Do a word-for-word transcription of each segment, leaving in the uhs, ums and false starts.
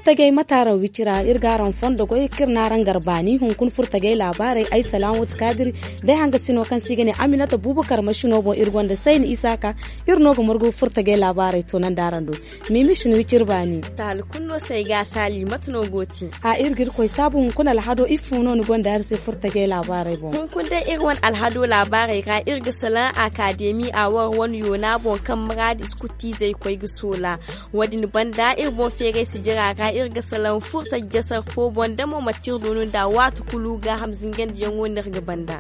Furtajey mataaraŋ wicira iri ga araŋ fondo goy kaŋ iri n'araŋ gar baani hunkuna furtajey laabaarey ay salaam wati kaadiri, day hangasino kaŋ se i ga ne aminata buubakar masino boŋ iri gonda sayni isaaka. Iri no ga margu furtajey laabaarey toonandi araŋ do. Miimi si ni wiciri baani. Taali kulu no se ay ga a saali mate no go te? A iri ga irkoy saabu hunkuna alhado ifo no ni gonda iri se furtajey laabaarey boŋ? Hunkuna day iri wane alhado laabaarey ra iri ga salaŋ akaademi a war wane yoona boŋ kaŋ maraadi iskuttiizey koy ga soola. Wo- din banda iri boŋ feeray sijira ra iri ga salaŋ furta jasar fo boŋ da mo manti iri doonu nd'a waati kulu gaaham zingandiyaŋo no iri ga banda.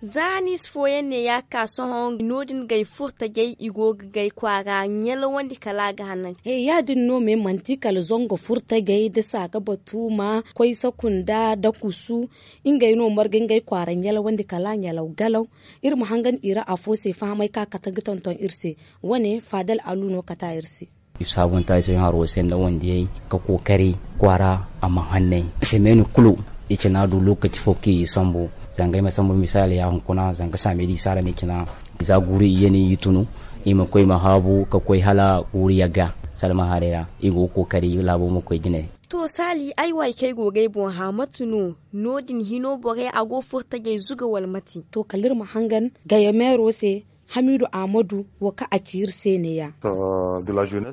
Za haniisa fooyaŋ ne ya ga ka sohõ no- din gay furtajey i go ga gay kwaara ɲalawandi kala a ga hanan. He ya- din no me manti kala zango furtajey da saaka batuuma koy sakunda da kusu. Ngey no marga ngey kwaara ɲalawandi kala a ɲalaw galaw. Iri ma hangan i ra afo se fahamay kaŋ a kate ga tonton iri se. Wane faadal alu no kate a iri se. I saabunta i sohõ haro se nda wandiyey ka kookari kwaara a ma hanney. Semeeni kulu i cina du lookaci fo kaŋ i sambu. Zanga ay ma sambu misaali ya hunkuna zanga saamedi i saara ni cina. Za guuru i ye no i tunu i ma koy ma haabu ka koy hala guuru yagga. Salma haray ra i go ga kookari laabo ma koy jine. To saali ay waay kaŋ ay go ga ay boŋ hã mate no? No- din hino borey a go furtajey zuga wala mate? To kala iri ma hangan gayo meero se. Hamiidu ahmadu wo kaŋ a ci iri se neeya.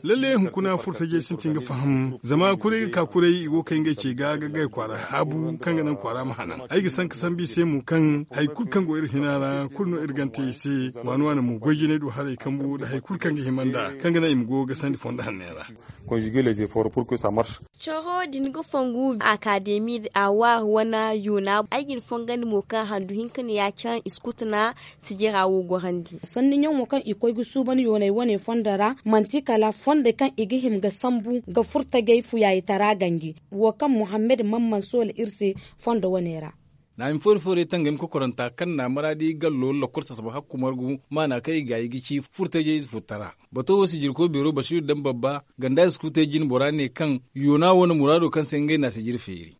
Lalle hunkuna furtajey sintin ga faham zama kuray ga ka kuray i go ga kay ngey ce ga ga gay kwaara haabu kaŋ ga naŋ kwaara ma hanan. Ay ga sanka sambu i se mo kaŋ hari kulu kaŋ go iri hina ra kulu no iri gana te i se. Waani waani mo goy jinay du haray kambu nda hari kulu kaŋ ga hima nd'a kaŋ ga naŋ i ma go ga sandi fondo hanney ra. Coro din ga fongu akaademi a waari wane yoona ay ga ni fongandi mo kaŋ handu hinka ne ya kaŋ iskutu na sijira wo gorandi. Sanni ɲaŋo kaŋ i koy ga suuban yoonay wane fondo ra manti kala fondey kaŋ i ga hima ga sambu ga furtajey fuyaayitara ganji. Wo kaŋ muhammad mamman soola iri se fondo wane ra. Naami foori foori tangami kokoranta kaŋ na maraadi gallo lakkol sasaba hakku margu maana kaŋ i gaayi ga ci furtajey furtara. Bato wo sijirkoy beero basiiru daŋ babba ganda iskutey jine bora ne kaŋ yoona wane muraado kaŋ se ngey na sijiri feeri.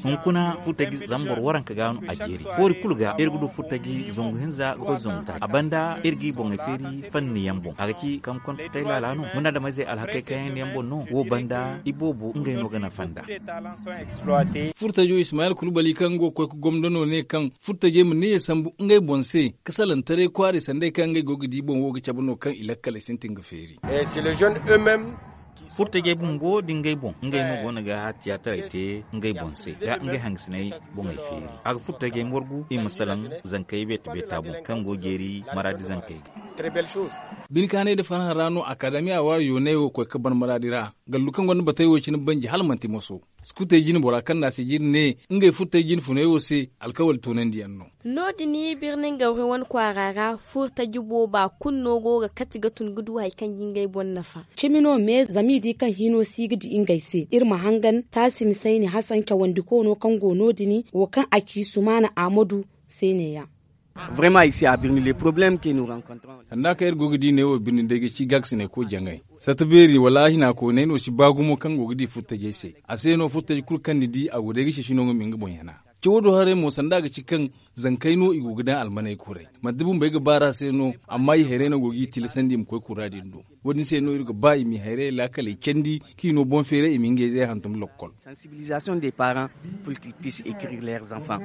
Hunkuna furtaji zama boro waranka ga no a jeeri foori kulu ga iri ga du furtaji zangu hinza ga koy zangu taaci a banda iri g'i boŋey feeri fanni yaŋ boŋ a ga ci kaŋ konda futay laala no muna dama izey alhakey kayandi yaŋ boŋ no wo banda iboobo ngey no ga nafa nd'a. Furtajo ismayil kulbali kaŋ go ga koy ga gomdo no ne kaŋ furtajey ma neeya sambu ngey boŋ se ka salaŋ taray kwaarey sanda ay kaŋ ngey go ga di boŋ wo ga cabe no kaŋ i lakkaley sintin ga feeri. Furtajey bumbo da ngey boŋ ngey no go no ga tiyaataray te ngey boŋ se ga ngey hangasiney boŋey feeri a ga furtajey morgu i ma salaŋ zankey beeta beeta boŋ kaŋ go jeeri maraadi zankey ga. Bine kaanay nda farhã ra no akadamiya waari yoonay wo koy ga ban maraadi ra gallu kaŋ gonda batey wo cine banji hala manti moso. Sukutey jine bora kaŋ na a se jine ne ngey furtey jine funey wo se alkawali toonandiyaŋ no. No- din birni ngawri wane kwaara ra furtaji booba kulu no go ga kati ga tun ga du hari kaŋ ga ngey boŋ nafa. Cimi no me zama i di kaŋ hino si ga di ngey se iri ma hangan taasi ma sayni hasan cawandi koono kaŋ go no- din wo kaŋ a ci sumaana ahmadu se neeya. Vraiment ici à birni les problèmes que nous rencontrons. Sanda kaŋ iri go ga di neewo birni day ga ci gaakasinay ko jaŋay sata beeri wala hina koonay no si ba gumo kaŋ go ga di furtajey se. A se no furtaji kulu kaŋ ni di a go day ga ceeci no nga ma nga boŋ yana. Cawo do haray mo sanda a ga ci kaŋ zankey no i go ga daŋ almaney kuray manti bumbey ga baar'a se no. Amma i hayrey no go g'i tilasandi i ma koy kura din do. Wo- din se no iri ga ba i ma i hayrey laakaley candi kaŋ i no boŋ feeray i ma ngey zey hantum lokkol. Sensibilisation des parents pour qu'ils puissent écrire leurs enfants.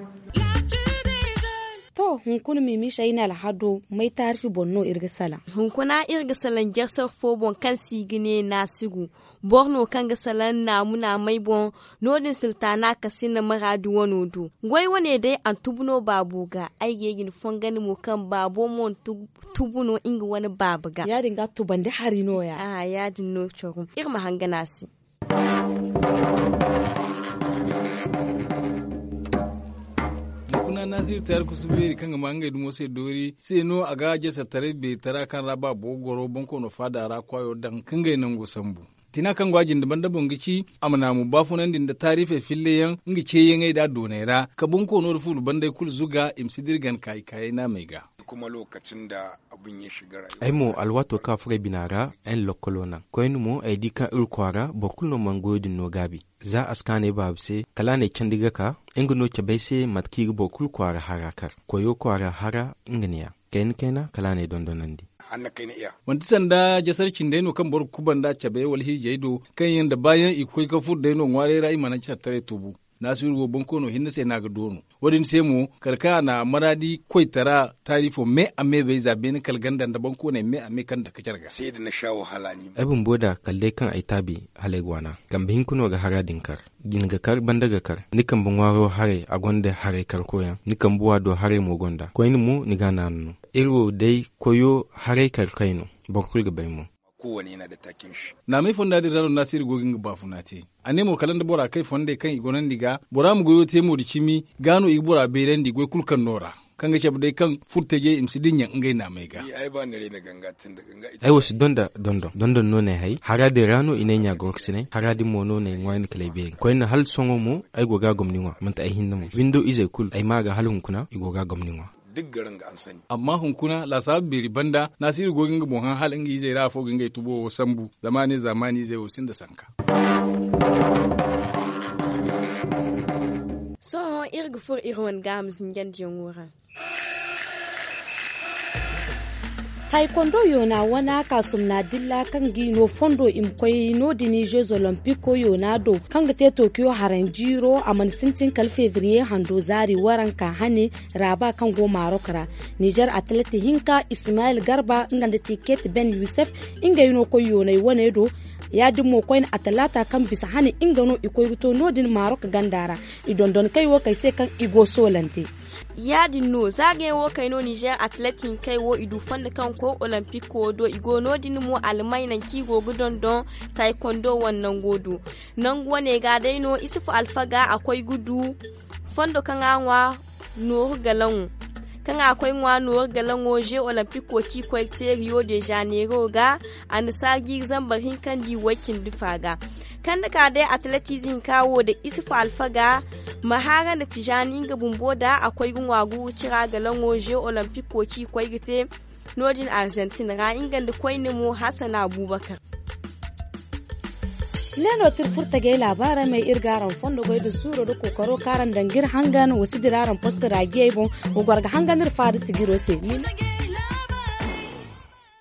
To hunkuna miimi sayni alhado may taarifi boŋ no iri ga salaŋ? Hunkuna iri ga salaŋ jarsar fo boŋ kaŋ se i ga ne naasigu. Boro no kaŋ ga salaŋ naamu naamey boŋ. No- din sultaana kasina maraadi wano do goy wane day a na tubu no baabo ga. Ay ga ye ga ni fongandi mo kaŋ baabo mo na tubu no nga wane baaba ga. Ya- din ga tubandi hari no- ya. Iri ma hangan a se. Hunkuna naasiru taari kusu beeri kaŋ ga ma ngey dumo se doori se no a ga jasartaray beeri tara kaŋ ra baabo ga goro boŋ koono faada ra kwaayo daŋ ka ngey nango sambu. Tina kaŋ go a jinde banda boŋ ga ci a ma naamu baafunandi nda taarifey filleyaŋ nga ceeyaŋey nd'a dooney ra ka boŋ koono nda fuulu banday kulu zuga i ma si dira gana kaayey kaayey naamey ga. Ay mo alwaato kaŋ a furo ay bina ra ay na lokkolo naŋ koyne mo ay di kaŋ iri kwaara boro kulu no mana goyo din no gaabi. Za a si ka ne baaba se kala a n'ay candi ga ka nga no cabe ay se mate kaŋ i ga boro kulu kwaara hara kar koyo kwaara hara. Nga ne- ya. Kayna kayna kala a na ay dondonandi. Manti sanda jasar cindey no kaŋ boro ga kuba nd'a cabe wala hiijey do, kaŋ yaŋ da baayaŋ i ga koy ga furo day no ŋwaaray ra i mana cattaray tubu. Naasiru wo bonkoono hinne se no a ga doonu. Wo- din se mo kala kaŋ a na maraadi koytara taarifo me a me bay za beene kala ganda nda bonkooney me a me kaŋ dake care ga. Ay bumbo da kala day kaŋ ay taabi hala ay ga waana. Kambe hinka no ga hara din kar. Jine ga kar, banda ga kar. Ni kambe ŋwaaro haray a gonda haray karkoyaŋ, ni kambe waado haray mo gonda koyne mo ni ga a naanu no. Iri wo day koyo haray karkoy no. Boro kulu ga bay mo. Naamay fonda din ra no naasiiri go ga nga baafuna te. A ne mo kala nda bora kay fondey kaŋ i gonandi ga bora ma goyo te mo da cimi ga no i ga bora beerandi goy kulu kaŋ no ra, kaŋ ga cabe day kaŋ furtajey i ma si dinya ngey naamey ga. Ay wo si donda dondon dondon no no ay hay hara din ra no i ne ay ɲa goroksinay hara din mo no no ay ŋwa ni kala ay beeri koyne hala sohõ mo. Ay go ga a gomni ŋwa manti ay hinne mo windo izey kulu ay ma ga hala hunkuna i go ga a gomni ŋwa. Amma hunkuna laasaabu beeri banda naasiiri go ga nga boŋ hã hala nga izey ra afo ga ngey tubo wo sambu. Zama a ne zaamaani izey wo sinda sanka. Sohõ iri ga furo iri wane gaaham zinjandiyaŋo ra. Taaykondo yoona wana kaasumna dilla kaŋ ga i no fondo i ma koy no- din jeux olympico yoona do, kaŋ ga te tokiyo haranjiiro a mana sintin kala febriye hando zaari waranka hane. Raaba kaŋ go marok ra, nizer atleti hinka ismayil garba nga nda tiket ben yusef, ngey no koy yoonay wane do. Ya- din mo koyne a talaata kaŋ bisa hane nga no i koy ga to no- din marok ganda ra. I dondon kay wo kay se kaŋ i go soolante. Ya- din no zaagayaŋ wo kay no nizer atleti hinkey wo i du fondo kaŋ koy olympic wo do i go no- din mo almay nangu kaŋ i go ga dondon taaykondo wane nango do. Nangu wane ga day no isufu alfaga a koy ga du fondo kaŋ a ŋwa nooru galaŋo kaŋ a koy ŋwa nooru galaŋo jeux olympico kaŋ i koy ga te rio de janeiro ga. A na saajiiri zambar hinka nda i way- cindi fa ga. Kaŋ ni ka day atletize hinka wo nda isufu alfaga ma haara nda tijaani nga bumbo nda a koy ga ŋwa guuru cira galaŋo jeux olympico kaŋ i koy ga te no- din argentine ra nga nda koyne mo hassan abubakar. Ne no ti iri furtagey laabaarey may iri ga araŋ fondo goy nda suuro nda kookaro kaŋ araŋ daŋ ga iri hangan wa si dira araŋ poste raajiyey boŋ. Wa goro ga hangan iri faada sijiro se.